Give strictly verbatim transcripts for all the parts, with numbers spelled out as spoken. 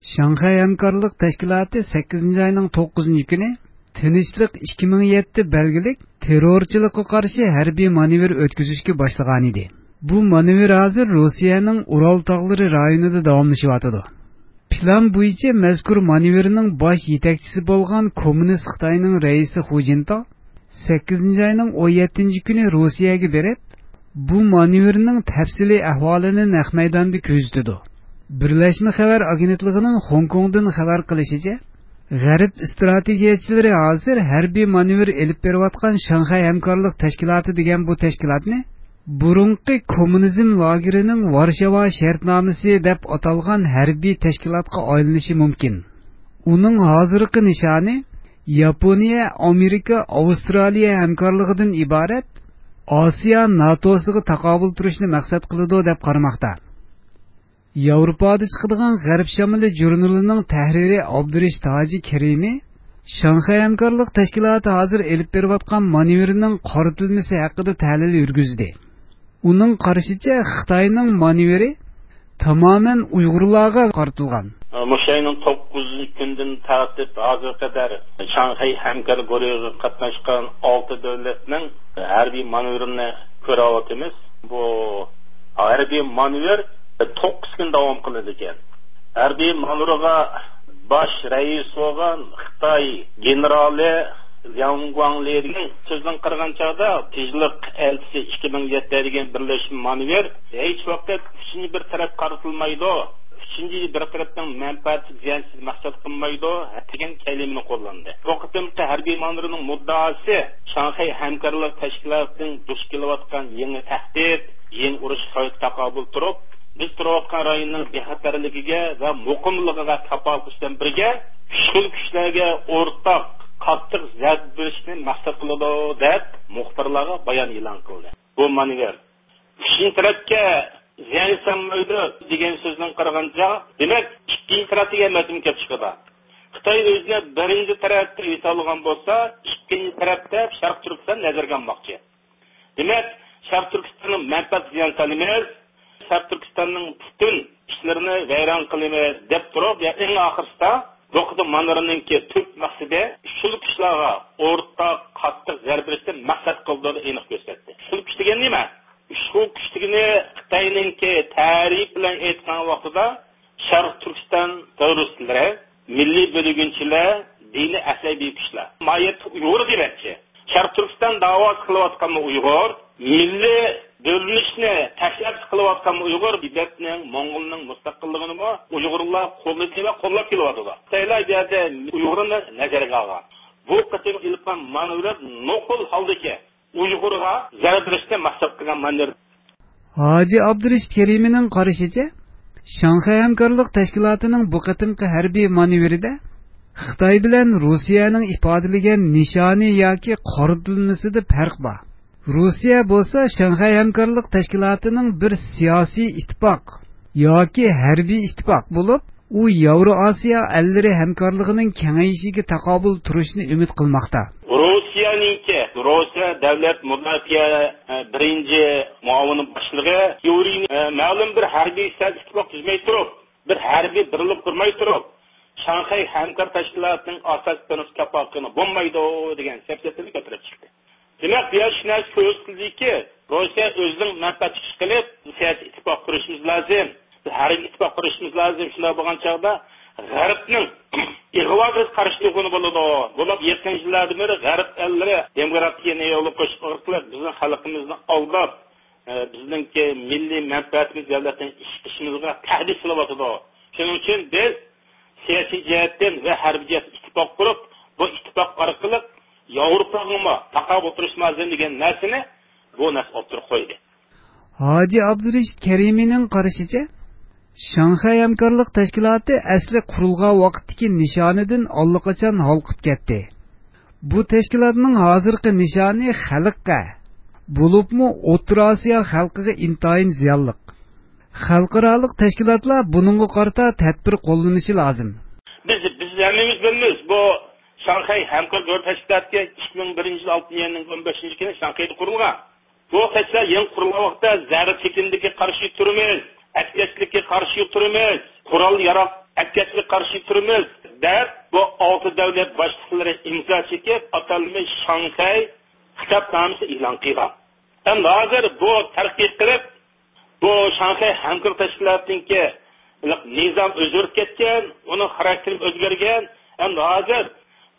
شاڭخەي ھەمكارلىق تەشكىلاتى سەككىزىنچى ئاينىڭ توققۇزىنچى كۈنى تىنچلىق ئىككى مىڭ يەتتە بەلگىلىك تېررورچىلىققا قارشى ھەربىي مانېۋىر ئۆتكۈزۈشكە باشلىغانىدى. بۇ مانېۋىر ھازىر روسىيەنىڭ ئۇرال تاغلىرى رايونىدا داۋاملىشىۋاتىدۇ. پىلان بويىچە مەزكۇر مانېۋىرنىڭ باش يېتەكچىسى بولغان كوممۇنىست خىتاينىڭ رەئىسى خۇ جىنتاۋ سەككىزىنچى ئاينىڭ ئون يەتتىنچى كۈنى روسىيەگە بېرىپ، بۇ مانېۋىرنىڭ تەپسىلىي ئەھۋالىنى نەق مەيداندا كۆزىتىدۇ. بىرلەشمە خەۋەر ئاگېنتلىقىنىڭ خوڭكوڭدىن خەۋەر قىلىشىچە، غەرب ئىستراتېگىيەچىلىرى ھازىر ھەربىي مانېۋىر ئېلىپ بېرىۋاتقان شاڭخەي ھەمكارلىق تەشكىلاتى دېگەن بۇ تەشكىلاتنى بۇرۇنقى كوممۇنىزم لاگېرىنىڭ ۋارشاۋا شەرتنامىسى دەپ ئاتالغان ھەربىي تەشكىلاتقا ئايلىنىشى مۇمكىن. ئۇنىڭ ھازىرقى نىشانى ياپونىيە، ئامېرىكا، ئاۋسترالىيە ھەمكارلىقىدىن ئىبارەت ئاسىيا ناتوسىغا تاقابىل تۇرۇشنى مەقسەت قىلىدۇ، دەپ قارىماقتا. ياۋروپادا چىقىدىغان غەرب شامىلى ژۇرنىلىنىڭ تەھرىرى ئابدۇرېشىت ھاجى كېرىمى شاڭخەي ھەمكارلىق تەشكىلاتى ھازىر ئېلىپ بېرىۋاتقان مانېۋىرنىڭ قارىتىلمىسى ھەققىدە تەھلىل يۈرگۈزدى. ئۇنىڭ قارىشىچە، خىتاينىڭ مانېۋىرى تامامەن ئۇيغۇرلارغا قارىتىلغان. مۇشۇ ئاينىڭ توققۇزىنچى كۈنىدىن تارتىپ ھازىرغا قەدەر شاڭخەي ھەمكار گۇرۇھىغا قاتناشقان ئالتە دۆلەتنىڭ ھەربىي مانېۋىرىنى كۆرۈۋاتىمىز. بۇ ھەربىي مانېۋىر توققۇز كۈن داۋام قىلىدىكەن. ھەربىي مانېۋىرغا باش رەئىس بولغان خىتاي گېنېرالى لياڭ گۇاڭلى دېگەن سۆزدىن قارىغان چاغدا، تىنچلىق ئەلچىسى ئىككى مىڭ يەتتە دېگەن بىرلەشمە مانېۋىر ھېچ ۋاقىت ئۈچىنچى بىر تەرەپ قارىتىلمايدۇ، ئۈچىنچى بىر تەرەپنىڭ مەنپەئەتىگە زىيان يېتىشىنى مەقسەت قىلمايدۇ دېگەن كەلىمىنى قوللاندى. بۇ قېتىمقى ھەربىي مانېۋىرنىڭ مۇددىئاسى شاڭخەي ھەمكارلىق تەشكىلاتىنىڭ دۇچ كېلىۋاتقان يېڭى تەھدىت، يېڭى ئۇرۇش خەۋپىگە تاقابىل تۇرۇپ، بىز تۇرۇۋاتقان رايوننىڭ بىخەتەرلىكىگە ۋە مۇقىملىقىغا كاپالەتلىشىش بىلەن بىرگە، ئۈچ خىل كۈچلەرگە ئورتاق قاتتىق زەربە بېرىشنى مەقسەت قىلىدۇ، دەپ مۇخبىرلارغا بايان ئېلان قىلدى. بۇ مانېۋىر ئۈچىنچى تەرەپكە زىيان سالمايدۇ دېگەن سۆزدىن قارىغانچە، دېمەك، ئىككىنچى تەرەپ دېگەن مەزمۇن كېلىپ چىقىدۇ. خىتاي ئۆزىنى بىرىنچى تەرەپ دەپ ھېسابلىغان بولسا، ئىككىنچى تەرەپ دەپ شەرقىي تۈركىستان نەزەرگە ئالماقچى. دېمەك، شەرقىي تۈركىستاننىڭ مەنپەئەتىگە زىيان سالىمىز، شەرقىي تۈركىستاننىڭ پۈتۈن ئىشلىرىنى ۋەيران قىلىمىز دەپ تۇرۇپ، يا ئەڭ ئاخىرسىدا بۇ قېتىم مانېۋىرنىڭكى تۈپ مەقسىتى ئۈچ خىل كۈچلەرگە ئورتاق قاتتىق زەربە بېرىشنى مەقسەت قىلدۇرۇپ ئېنىق كۆرسەتتى. ئۈچ خىل كۈچ دېگەن نېمە؟ ئۈچ خىل كۈچ دېگىنى خىتاينىڭكى تەرىپى بىلەن ئېيتقان ۋاقتىدا شەرقىي تۈركىستان تېررورىستلىرى، مىللىي بۆلگۈنچىلەر، دىنىي ئەسەبىي كۈچلەر. ماھىيەتتە ئۇيغۇر دېمەكچى. شەرقىي تۈركىستان داۋاسى قىلىۋاتقانمۇ ئۇيغۇر، مىللىي بۆلۈنۈشنى تەشەببۇس قىلىۋاتقانمۇ ئۇيغۇر، تىبەتنىڭ، موڭغۇلنىڭ مُستەقىللىقىنىمۇ ئۇيغۇرلار قوللىدى ۋە قوللاپ كېلىۋاتىدۇ. خىتايلار بۇ يەردە ئۇيغۇرنى نەزەرگە ئالغان. بۇ قېتىم ئېلىپ بارغان مانېۋىر نوقۇل ھالدىكى ئۇيغۇرغا زەربە بېرىشنى مەقسەت قىلغان مانېۋىر. ھاجى ئابدۇرېشىت كېرىمىنىڭ قارىشىچە، شاڭخەي ھەمكارلىق تەشكىلاتىنىڭ بۇ قېتىمقى ھەربىي مانېۋىرىدە خىتاي بىلەن روسىيەنىڭ ئىپادىلىگەن نىشانى ياكى قارىتىلمىسىدا پەرق بار. روسىيە بولسا شاڭخەي ھەمكارلىق تەشكىلاتىنىڭ بىر سىياسىي ئىتتىپاق ياكى ھەربىي ئىتتىپاق بولۇپ، ئۇ ياۋرو ئاسىيا ئەللىرى ھەمكارلىقىنىڭ كېڭىيىشىگە تاقابىل تۇرۇشنى ئۈمىد قىلماقتا. روسىيەنىڭكى، روسىيە دۆلەت مۇداپىئە، ئە، بىرىنچى مۇئاۋىن باشلىقى يۇرىي، ئە، مەلۇم بىر ھەربىي سىياسىي ئىتتىپاق تۈزمەي تۇرۇپ، بىر ھەربىي بىرلىك قۇرماي تۇرۇپ، شاڭخەي ھەمكار تەشكىلاتىنىڭ ئاساسىي پىرىنسىپ كاپالىتىنى بولمايدۇ دېگەن سەپسەتىنى كۆتۈرۈپ چىقتى. دېمەك، بۇ يەردە شۇ نەرسە كۆرسىتىلدىكى، روسىيە ئۆزىنىڭ مەنپەئەتى ئۈچۈن قىلىپ، سىياسىي ئىتتىپاق قۇرۇشىمىز لازىم، بىز ھەربىي ئىتتىپاق قۇرۇشىمىز لازىم. شۇنداق بولغان چاغدا غەربنىڭ ئىغۋاغا قارشى تۇرغىلى بولىدۇ. بولۇپ، يېقىن يىللاردىن بېرى غەرب ئەللىرى دېموكراتىيەنى يولغا قويۇش ئارقىلىق بىزنىڭ خەلقىمىزنى ئالداپ، ئە، بىزنىڭكى مىللىي مەنپەئەتىمىز، دۆلەتنىڭ ئىشىغا تەھدىت سېلىۋاتىدۇ. شۇنىڭ ئۈچۈن بىز سىياسىي جەھەتتىن ۋە ھەربىي جەھەتتىن ئىتتىپاق قۇرۇپ، بۇ ئىتتىپاق ئارقىلىق ياۋروپاغىمۇ تاقابىل تۇرۇشىمىز لازىم دېگەن نەرسىنى بۇ نەرسە ئوتتۇرىغا قويدى. ھاجى ئابدۇرېشىت كەرىمىنىڭ قارىشىچە، شاڭخەي ھەمكارلىق تەشكىلاتى ئەسلى قۇرۇلغان ۋاقىتتىكى نىشانىدىن ئاللىقاچان ھالقىپ كەتتى. بۇ تەشكىلاتنىڭ ھازىرقى نىشانى خەلققە، بولۇپمۇ ئوتتۇرا ئاسىيا خەلقىگە ئىنتايىن زىيانلىق. خەلقئارالىق تەشكىلاتلار بۇنىڭغا قارىتا تەدبىر قوللىنىشى لازىم. بىز، بىز ھەممىمىز بىلىمىز، بۇ شاڭخەي ھەمكار گۇرۇپپا تەشكىلاتى ئىككى مىڭ بىرىنچى يىل ئالتىنچى ئاينىڭ ئون بەشىنچى كۈنى شاڭخەيدە قۇرۇلغان. بۇ تەشكىلات يېڭى قۇرۇلغان ۋاقىتتا زەربە چېكىندىكى قارشى تۇرىمىز، ئەسكەرچىلىككە قارشى تۇرىمىز، قورال ياراق ئەكەتكە قارشى تۇرىمىز، دەپ، بۇ ئالتە دۆلەت باشلىقلىرى ئىمزا چېكىپ، ئاتالمىش شاڭخەي خىتابنامىسى ئېلان قىلغان. ئەمدى ھازىر بۇ تەرەققىي قىلىپ، بۇ شاڭخەي ھەمكارلىق تەشكىلاتىنىڭكى نىزام ئۆزگىرىپ كەتكەن، ئۇنىڭ خاراكتېرى ئۆزگەرگەن. ئەمدى ھازىر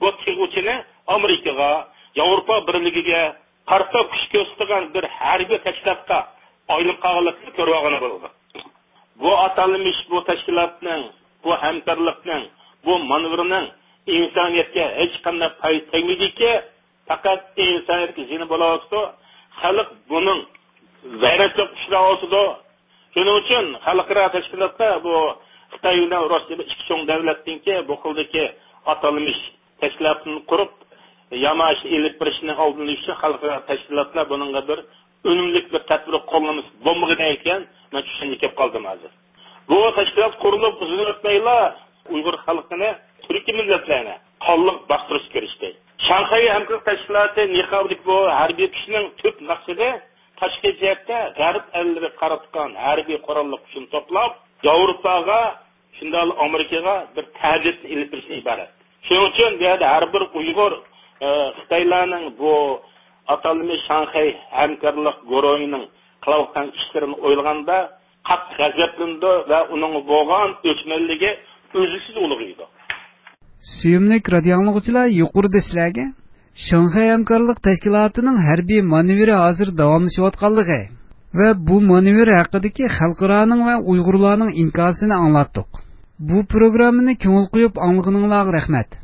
بۇ تىغ ئۇچىنى ئامېرىكىغا، ياۋروپا بىرلىكىگە قارىتا كۈچ كۆرسىتىدىغان بىر ھەربىي تەشكىلاتقا ئايلىنىپ قالغانلىقىنى كۆرۈۋالغىلى بولىدۇ. بۇ ئاتالمىش بۇ تەشكىلاتنىڭ، بۇ ھەمكارلىقنىڭ، بۇ مانېۋىرنىڭ ئىنسانىيەتكە ھېچقانداق پايدىسى تەگمەيدىكى، پەقەت ئىنسانىيەتكە زىيىنى بولۇۋاتىدۇ. خەلق بۇنىڭ ۋەيرانچىلىققا ئۇچراۋاتىدۇ. شۇنىڭ ئۈچۈن خەلقئارا تەشكىلاتلار بۇ خىتاي بىلەن روسىيە ئىككى چوڭ دۆلەتنىڭكى بۇ خىلدىكى ئاتالمىش تەشكىلاتنى قۇرۇپ، ياماشا ئېلىپ بېرىشنىڭ ئالدىنى ئېلىش ئۈچۈن خەلقئارا تەشكىلاتلار بۇنىڭغا بىر ئۈنۈملۈك بىر تەدبىر قوللىمىسا بولمىغۇدەك ئىكەن، مەن چۈشەنچىگە كەپ قالدىم ھازىر. بۇ تەشكىلات قۇرۇلۇپ ئۇزۇن ئۆتمەيلا ئۇيغۇر خەلقىنى تۈركىي مىللەتلەرنى قانلىق باستۇرۇشقا كىرىشتى. شاڭخەي ھەمكارلىق تەشكىلاتى نىقابىدىكى بۇ ھەربىي كۈچنىڭ تۈپ مەقسىتى تاشقى جەھەتتە غەرب ئەللىرىگە قاراتقان ھەربىي قوراللىق كۈچنى توپلاپ، ياۋروپاغا، شۇنداقلا ئامېرىكىغا بىر تەھدىتنى ئېلىپ بېرىشتىن ئىبارەت. شۇنىڭ ئۈچۈن بۇ يەردە ھەر بىر ئۇيغۇر، ئە، خىتايلارنىڭ بۇ ئاتالمىش شاڭخەي ھەمكارلىق گۇرۇھىنىڭ قىلىۋاتقان ئىشلىرىنى ئويلىغاندا قاتتىق غەزەپلىنىدۇ ۋە ئۇنىڭ بولغان ئۆچمەنلىكى ئۈزلۈكسىز ئۇلغىيىدۇ. سۆيۈملۈك رادىيو ئاڭلىغۇچىلار، يۇقىرىدا سىلەرگە شاڭخەي ھەمكارلىق تەشكىلاتىنىڭ ھەربىي مانېۋىرى ھازىر داۋاملىشىۋاتقانلىقى ۋە بۇ مانېۋىر ھەققىدىكى خەلقئارانىڭ ۋە ئۇيغۇرلارنىڭ ئىنكاسىنى ئاڭلاتتۇق. بۇ پروگراممىنى كۆڭۈل قويۇپ ئاڭلىغىنىڭلارغا رەھمەت.